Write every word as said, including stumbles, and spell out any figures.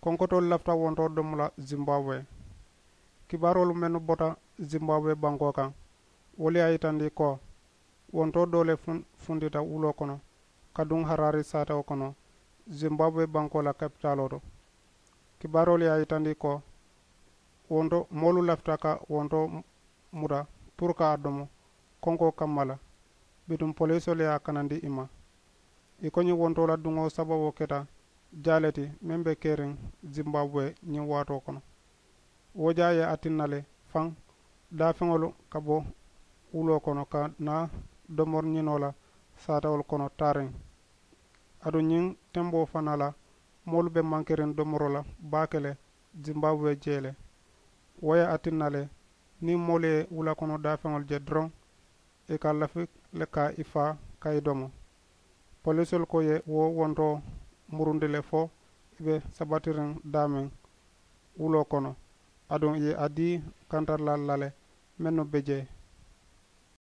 Konkotoolu lafita wontoo domo la zimbabwe. Kibaaroolu mennu bota zimbabwe bankoo kaŋ, wolu ye a yitandi ko wontoo doo le fundita wuloo kono ka duŋ haraari saatewo kono zimbabwe bankoo la kapitaaloo to. Kibaaroolu ye a yitandi ko wontoo moolu lafita ka wontoo muta puru ka a domo konkoo kamma la. Bituŋ poliisoolu ye a kanandi i ma. I ko ñiŋ wontoo la duŋo sababoo keta jaa le ti meŋ be keriŋ zimbabwe ñiŋ waatoo kono. Wo jaa ye a tinna le faŋ daafeŋolu ka bo wuloo kono ka naa domori ñinoo la saatawolu kono taariŋ. Aduŋ ñiŋ temboo fanaa la moolu be mankeriŋ domoroo la baake le zimbabwe jee le. Wo ye a tinna le niŋ moolu ye wula kono daafeŋolu je doroŋ i ka lafi le ka i faa ka i domo. Poliisoolu ko ye wo wontoo murundi le fo i be sabatiriŋ daameŋ wuloo kono. Aduŋ i ye a dii kantarilaalu la le mennu be jee